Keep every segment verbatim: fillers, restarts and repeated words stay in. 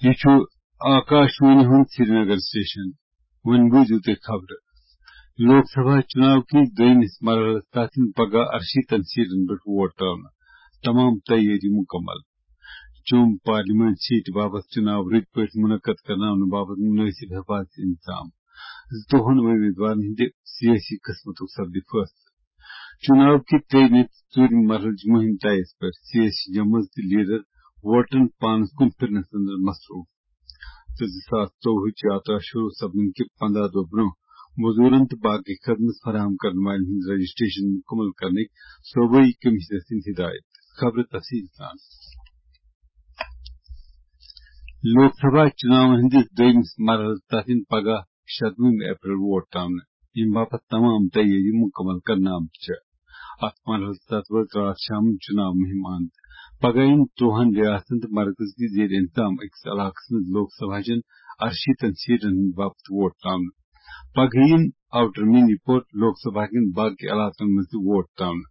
یہِ چھُ آکاشوانی ہُنٛد سرینگر سٹیشن۔ وۄنۍ بوٗزِو تُہۍ خبرٕ۔ لوک سبھا چُناو کِس دوٚیمِس مرحلس تحت یِن پگاہ اَرشیٖتن سیٹن پٮ۪ٹھ ووٹ ترٛاونہٕ۔ تمام تیٲری مُکمل۔ جوٚم پارلیمنٹ سیٹہِ باپتھ چُناو رٕتۍ پٲٹھۍ مُنعقد کرناونہٕ باپتھ مُنٲسِب حفاظتی انتظام۔ زٕتووُہن وۄمیدوارن ہٕنٛدِ سیٲسی قٕسمتُک سپدِ فٲصلہٕ۔ چُناو کہِ ترٛیٚیِمہِ تہٕ ژوٗرِمہِ مرحلٕچ مُہِم طے یَس پٮ۪ٹھ سیٲسی جمٲژ تہٕ لیڈر ووٹرن پانَس کُن پھِرنَس اندر مصروٗف۔ تہٕ زٕ ساس ژوٚوُہٕچ یاترا شروٗع سپدنہٕ کہِ پنٛداہ دۄہ برٛونٛہہ مزوٗرن تہٕ باقٕے خدمت فراہم کرن والٮ۪ن ہٕنٛز رجسٹریشن مُکمل کرنٕکۍ صوبٲئی کمشنر سٕنٛدۍ ہدایت۔ خبرٕ تفصیٖل سان۔ لوک سبھا چُناون ہٕنٛدِس دوٚیمِس مرحلس تحت یِن پگاہ شتوُہمہِ اپریل ووٹ ترٛاونہٕ، ییٚمہِ باپتھ تمام تیٲری مُکمل کرنہٕ آمژٕ چھےٚ۔ اتھ مرحلس تحت وٲژ راتھ شامن چُناو مُہِم اند۔ پگاہ یِن ترٛوہن ریاستن تہٕ مرکز کِس زیر انتظام أکِس علاقس منٛز لوک سبھا چٮ۪ن ارشیٖتن سیٹن ہٕنٛدِ باپتھ ووٹ ترٛاونہٕ۔ پگہٕ یِن آوٹر منی پور لوک سبھا کٮ۪ن باقٕے علاقن منٛز تہِ ووٹ ترٛاونہٕ۔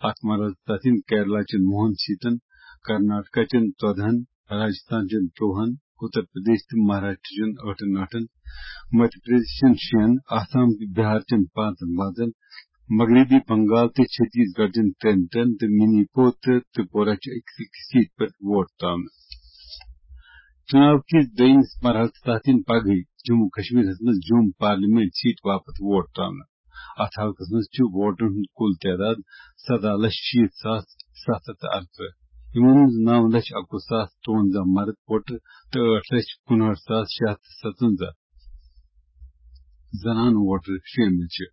اتھ مرحلس تحت یِن کیرلا چٮ۪ن وُہن سیٹن، کرناٹکا چٮ۪ن ژۄدہن، راجستھان چٮ۪ن ترٛوہن، اتر پردیش تہٕ مہاراشٹر چٮ۪ن ٲٹھن ٲٹھن، مدھیہ پردیش چٮ۪ن شٮ۪ن، آسام تہٕ بہار چٮ۪ن پانٛژن پانٛژن، مغربی بنگال تہٕ چھتیس گڑھ چٮ۪ن ترٛٮ۪ن ترٛٮ۪ن تہٕ منی پور تہٕ ترپورہ چہِ أکِس أکِس سیٹہِ پٮ۪ٹھ ووٹ ترٛاونہٕ۔ چُناو کِس دوٚیمِس مرحلس تحت یِن پگہٕے جموں کشمیرس منٛز جوٚم پارلیمنٹ سیٹہِ باپتھ ووٹ ترٛاونہٕ۔ اتھ حلقس منٛز چھُ ووٹرن ہُنٛد کُل تعداد سداہ لچھ شیٖتھ ساس ستھ ہتھ تہٕ ارترٕہ، یِمن منٛز نو لچھ اکوُہ ساس ترٛونزہ مرد ووٹر تہٕ ٲٹھ لچھ کُنہٲٹھ ساس شےٚ ہتھ تہٕ ستونزہ زنانہٕ ووٹر شٲمِل چھِ۔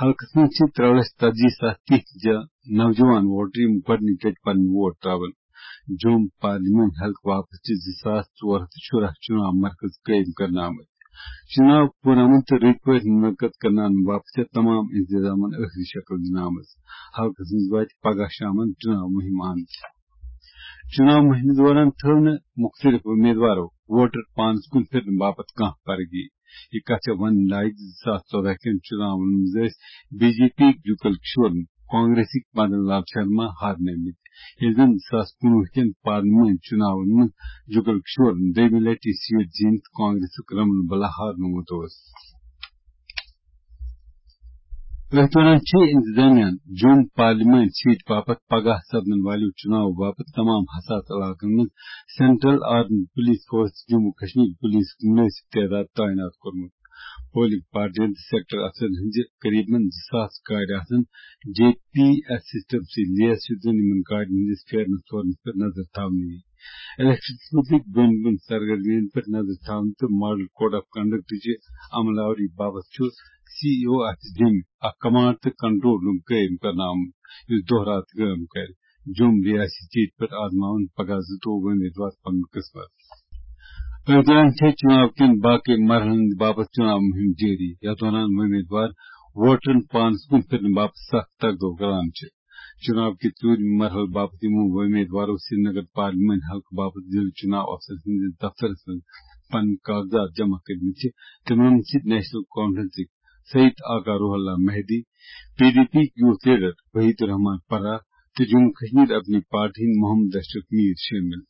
حلقس منٛز چھِ ترٛےٚ لچھ ژتجی ساس تِتھۍ جا-، نوجوان ووٹر، یِم گۄڈٕنِچ لٹہِ پنٕنۍ ووٹ ترٛاوَن۔ جوٚم پارلیمنٹ حلقہٕ باپتھ چھِ زٕ ساس ژور ہتھ تہٕ شُراہ چُناو مرکز قٲیِم کرنہٕ آمٕتۍ۔ چُناو پُرامن تہٕ رٕتۍ پٲٹھۍ مُنعقد کرناونہٕ باپتھ چھےٚ تمام انتظامن ٲخری شکل دِنہٕ آمٕژ۔ حلقس منٛز واتہِ پگاہ شامن چُناو مُہِم اند۔ چُناو مُہِمہِ دوران تھٲو نہٕ مُختٔلِف اُمیدوارو ووٹر پانَس کُن پھِرنہٕ باپتھ کانٛہہ پرگی۔ یہِ کتھ چھےٚ ونٕنۍ لایق زِ زٕ ساس ژۄدہ کٮ۪ن چُناون منٛز ٲسۍ بی جے پی جُگل کشورن کانگریسٕکۍ مدن لال شرما ہارنٲومٕتۍ، ییٚلہِ زن زٕ ساس کُنوُہ کٮ۪ن پارلیمنٹ چُناون منٛز جُگل کشورن دوٚیمہِ لٹہِ یہِ سیٹ زیٖنِتھ کانگریسُک رمن بلا ہارنومُت اوس۔ أتھۍ دوران چھِ انتظامیہ جوٚم پارلیمنٹ سیٹ باپتھ پگاہ سپدن والٮ۪و چُناو باپتھ تمام حساس علاقن منٛز central armed police force Jammu Kashmir پولیسُک مُنٲسِب تعداد تعینات کوٚرمُت۔ پولنگ پارٹین تہٕ سیکٹر افسرن ہٕنٛزِ قریبن زٕ ساس گاڑِ آسن جے پی ایس سسٹم سۭتۍ لیس، یُتھ زن یِمن گاڑٮ۪ن ہٕنٛدِس پھیرنس تورنس پٮ۪ٹھ نظر تھاونہٕ یِیہِ۔ الیکشنس مُتعلق بۄن بۄن سرگرمیَن پٮ۪ٹھ نظر تھاونہٕ تہٕ ماڈل کوڈ آف کنڈکٹٕچہِ عمل آوری باپتھ چھُ سی ای او آفس جوٚمہِ اکھ کمانڈ تہٕ کنٹرول روم قٲیِم کرنہٕ آمُت، یُس دۄہ راتھ کٲم کرِ۔ جوٚم ریاستی سیٹہِ پٮ۪ٹھ آزماوَن پگاہ زٕتووُہ وۄمیدوار پنُن قٕسمت۔ أتھۍ دوران چھےٚ چُناو کٮ۪ن باقٕے مرحلن باپتھ چُناو مُہِم جٲری۔ یَتھ دوران وۄمیدوار ووٹرَن پانَس کُن پھِرنہٕ باپتھ سخت تگ دو کران چھِ۔ چُناو کہِ ژوٗرِمہِ مرحلہٕ باپتھ یِمو وۄمیدوارو سرینگر پارلیمنٹ حلقہٕ باپتھ ضلعہٕ چُناو افسر سٕنٛدِس دفترَس منٛز پنٕنۍ کاغذات جمع کٔرمٕتۍ چھِ، تِمَن منٛز چھِ national کانفرنسٕکۍ Syed Aga Ruhullah Mehdi, P D P youth leader Waheed ur Rehman Para, تہٕ جموں کشمیر اپنی پارٹی ہٕنٛدۍ محمد اشرف میر شٲمِل۔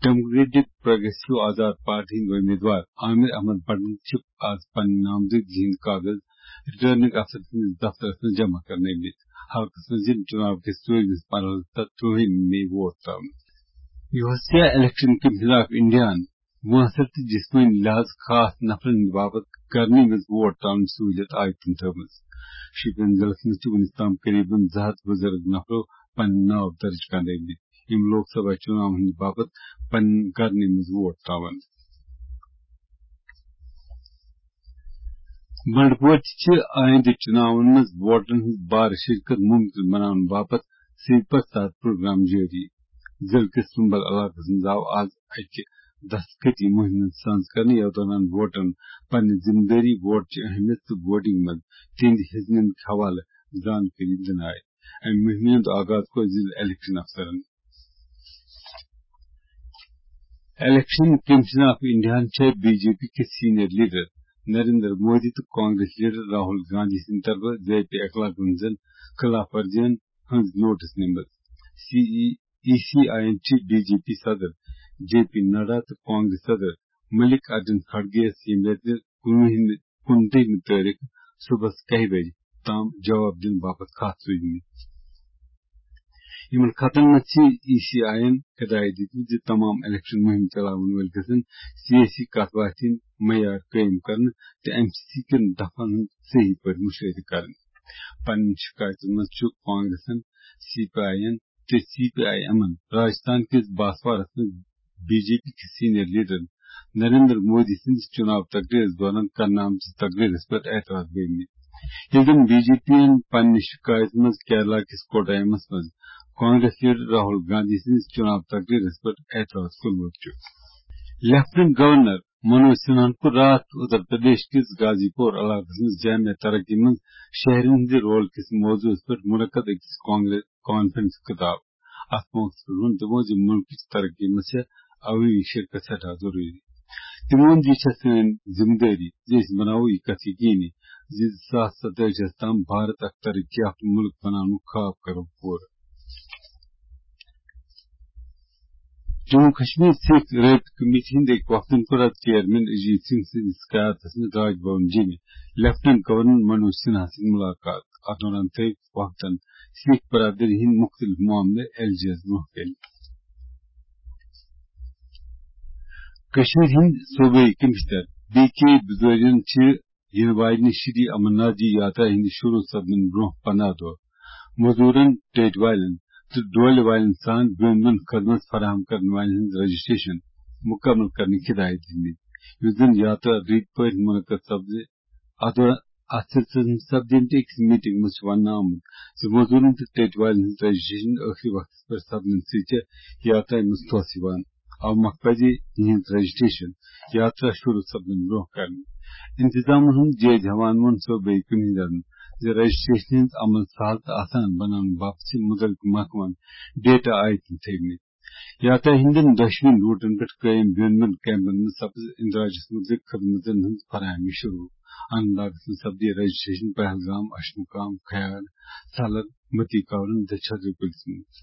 ڈیموکریٹک پروگریسو آزاد پارٹی ہٕنٛدۍ وۄمیدوار عامر احمد بٹن چھِ آز پنٕنۍ نامزدگی ہٕنٛدۍ کاغذ ریٹرننگ افسر سٕنٛدِس دفترس منٛز جمع کرنٲومٕتۍ۔ حلقس منٛز یِن چُناو کِس ژوٗرمِس مرحلس تحت ترٛوہمہِ مئی ووٹ ترٛاونہٕ۔ یُوسیا الیکشن کمیشن آف انڈیاہن مؤثر تہٕ جسمٲنی لحاظ خاص نفرن ہٕنٛدِ باپتھ کرنہٕ یِمٕژ ووٹ ترٛاونٕچ سہوٗلیت عائد کُن تھٲومٕژ۔ شوپین ضلعس منٛز چھِ وُنیُک تام قریباً زٕ ہتھ بُزرگ نفرو پنٕنۍ ناو درج کرنٲومٕتۍ، یِم لوک سبھا چُناون ہٕنٛدِ باپتھ پنٕنۍ کرنہٕ یِمٕژ ووٹ ترٛاوَن۔ بنڈپور چھِ آیندٕ چُناون منٛز ووٹرن ہٕنٛز بارٕ شرکت ممکن بناونہٕ باپتھ سویپر تحت پروگرام جٲری۔ ضلعہٕ کِس سُمبل علاقس منٛز آو آز اکہِ دستخطی مُہِمہِ ہُنٛد سنز کرنہٕ، یَتھ دوران ووٹرَن پنٕنہِ ذِمہٕ دٲری، ووٹ چہِ اہمیت تہٕ ووٹنگ منٛز تِہنٛدِ حصہٕ نِنٕکۍ حوالہٕ زانکٲری دِنہٕ آیہِ۔ اَمہِ مُہِمہِ ہُنٛد آغاز کوٚر ضلعہٕ الیکشن افسرَن۔ الیکشن کمیشن آف انڈیاہَن چھےٚ بی جے پی کِس سینئر لیڈر نریندر مودی تہٕ کانگریس لیڈر راہل گاندھی سٕنٛدِ طرفہٕ ضیافی اخلاق ورزین خلاف ورزین ہٕنٛز نوٹس نِمٕژ۔ سی ای سی آی اٮ۪ن چھِ بی جے پی صدر جے پی نڈا تہٕ کانگریس صدر ملک ارجن کھڑگے یس ییٚمہِ رٮ۪تہٕ کُنوُہمہِ کُنتٲجِمہِ تٲریخ صبحس کاہہِ بجہِ تام جواب دِنہٕ باپتھ خاص سوٗزمٕتۍ۔ یِمن خطن منٛز چھِ ای سی آی یَن ہدایت دِژمٕژ زِ تمام الیکشن مُہِم چلاون وٲلۍ گژھن سیٲسی کتھ باتھِ ہٕنٛدۍ معیار قٲیِم کرنہٕ تہٕ ایم سی سی کٮ۪ن دفعن ہُنٛد صحیح پٲٹھۍ مُشٲہدٕ کرٕنۍ۔ پننٮ۪ن شِکایتن منٛز چھُ کانگریسن، سی پی آی یَن تہٕ سی پی آی ایمَن راجستھان کِس باسوارَس منٛز بی جے پی کِس سینئر لیڈرن نریندر مودی سٕنٛدِس چُناو تقریرس دوران کرنہٕ آمتِس تقریرس پٮ۪ٹھ اعتراض گٔمٕتۍ۔ ییٚلہِ زن بی جے پی یَن پننہِ شِکایتہِ منٛز کیرلا کِس کوٹایمس منٛز کانگریس لیڈر راہل گاندھی سٕنٛدِس چُناو تقریرس پٮ۪ٹھ اعتراض کوٚرمُت چھُ۔ لیفٹیننٹ گورنر منوج سنہاہن کوٚر راتھ اتر پردیش کِس غازی پور علاقس منٛز جامع ترقی منٛز شہرین ہٕنٛدِ رول کِس موضوعس پٮ۪ٹھ منعقد أکِس کانگریس کانفرنس خطاب۔ اتھ موقعس پٮ۪ٹھ ووٚن تِمو زِ مُلکٕچ ترقی منٛز چھےٚ عوٲمی شرکت سٮ۪ٹھاہ ضروٗری۔ تِمو ووٚن زِ یہِ چھےٚ سٲنۍ ذمہٕ دٲری زِ أسۍ بناوو یہِ کتھ یقینی زِ زٕ ساس ستٲجی ہَس تام بھارت اکھ ترقی یافتہٕ مُلک بناونُک خواب کرو پوٗرٕ۔ جموں کشمیر سکھ رٲبطہٕ کمیٹی ہٕنٛدۍ أکۍ وفدن کوٚر اَتھ چیئرمین اجیت سنگھ سٕنٛدِس قیادتس منٛز راج بھون جیٚمہِ لیفٹیننٹ گورنر منوج سنہا سۭتۍ مُلاقات۔ اَتھ دوران تھٲوۍ وفدن سکھ برادری ہٕنٛدۍ مُختٔلِف معاملہٕ ایل جی یَس برٛونٛہہ کَنہِ۔ کٔشیٖرِ ہٕنٛدۍ صوبٲئی کمشنر بی کے بزوریَن چھِ یِنہٕ واجنہِ شری امرناتھ جی یاترا ہٕنٛدِ شروٗع سپدنہٕ برٛونٛہہ پنٛداہ دۄہ مزدوٗرن، ٹیٚٹۍ والٮ۪ن تہٕ ڈولہِ والٮ۪ن سان بیوٚن بیوٚن خدمت فراہم کرن والٮ۪ن ہٕنٛز رجسٹریشن مُکمل کرنٕکۍ ہدایت دِتمٕتۍ، یُتھ زن یاترا رٕتۍ پٲٹھۍ منعقد سپدِ۔ اتھ دوران، اتھ سلسلس منٛز سپدیمتِ أکِس میٹنگ منٛز چھُ وننہٕ آمُت زِ مزدوٗرن تہٕ ٹیٚٹۍ والٮ۪ن ہٕنٛز رجسٹریشن ٲخری وقتس پٮ۪ٹھ سپدنہٕ سۭتۍ چھےٚ یاترا منٛز ٹھوس یِوان۔ اوٕ مۄکھٕ پزِ یِہنٛز رجسٹریشن یاترا شروع سپدنہٕ برٛونٛہہ کرٕنۍ۔ انتظامن ہُنٛد جٲیزٕ ہٮ۪وان ووٚن صوبٲئی کٔمِشنرن زِ رجسٹریشن ہٕنٛز عمل سہل تہٕ آسان بناونہٕ باپتھ چھِ مُتعلقہٕ محکمن ڈیٹا آیٹم تھٲومٕتۍ۔ یاترا ہٕنٛدٮ۪ن دۄشوٕنی روٹن پٮ۪ٹھ قٲیِم بیوٚن بیوٚن کیمپن منٛز سپٕز اندراجس مُتعلق خدمتن ہٕنٛز فراہمی شروع۔ اننت ناگس منٛز سپدِ رجسٹریشن پہلگام، اشمقام، کھیار، سالر، متی کاورن تہٕ چھترٕ کُلِس منٛز۔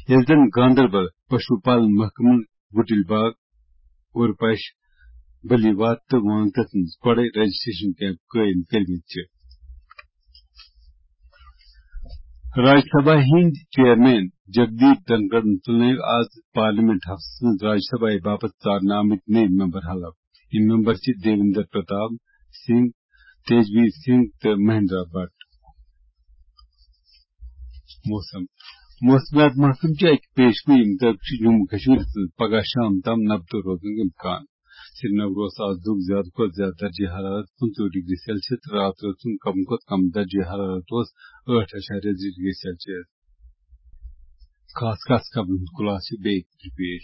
ییٚلہِ زن گاندربل، پشو پالن محکمن گُٹِل باغ، اورپش، بلی وات تہٕ وانگتس منٛز گۄڈے رجسٹریشن کیمپ قٲیِم کٔرمٕتۍ چھِ۔ راجیہ سبھا ہٕنٛدۍ چیئرمین جگدیپ دھنکڑن تُلنٲوۍ آز پارلیمنٹ ہفتس منٛز راجیہ سبھایہ باپتھ ژارنہٕ آمٕتۍ نٔوۍ ممبر حلف۔ یِم ممبر چھِ دیویندر پرتاپ سنگھ، تیجویر سنگھ تہٕ مہندرا بٹ۔ موسم۔ موسمیات محکمہٕ چہِ اَکہِ پیش گویی مُطٲبِق چھُ جموں کشمیرَس منٛز پگہہ شام تام نبتہٕ روزنُک امکان۔ سرینگر اوس آز دۄہُک زیادٕ کھۄتہٕ زیادٕ درجہ حرارت پٕنٛژٕہ ڈگری سیلسیس تہٕ راتہٕ روز تُن کم کھۄتہٕ کم درجہ حرارت اوس ٲٹھ اعشاریہ زٕ ڈگری سیلسیس۔ خاص خاص خبرن ہُنٛد خُلاصہٕ چھُ بیٚیہِ پھِرِ پیش۔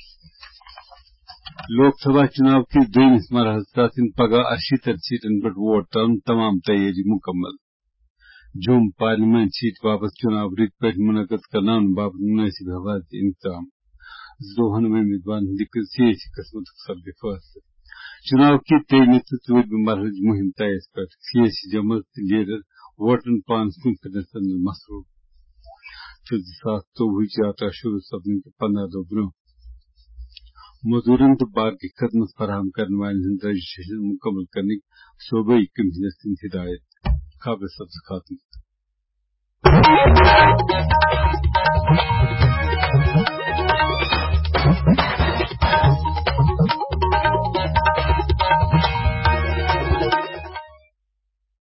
لوک سبھا چُناو کِس دوٚیمِس مرحلَس تحت یِن پگہہ اَرشیٖتھ سیٹن پٮ۪ٹھ ووٹ ترٛاونہٕ تمام تیٲری مُکمل۔ جوٚم پارلیمنٹ سیٹ واپس چُناو رٕتۍ پٲٹھۍ مُنعقد کرناونہٕ باپتھ مُنٲسِب حفاظتی انتظام۔ زٕتووُہن امیدوارن ہٕنٛدِ سیٲسی قٕسمتُک سپدِ فٲصلہٕ۔ چُناو کہِ ترٛیٚیمہِ تہٕ ژوٗرمہِ مرحلٕچ مُہِم طے یَس پٮ۪ٹھ سیٲسی جمٲژ تہٕ لیڈر ووٹرن پانَس کُن پھِرنَس منٛز مصروٗف۔ تہٕ زٕ ساس ژوٚوُہٕچ یاترا شروٗع سپدنہٕ کہِ پنٛداہ دۄہ برٛونٛہہ مزدوٗرن تہٕ باقٕے خدمت فراہم کرن والٮ۪ن ہٕنٛز رجسٹریشن مُکمل کرنٕکۍ صوبٲئی کمشنر سٕنٛدۍ ہدایت۔ خبرٕ سپدٕ ختم۔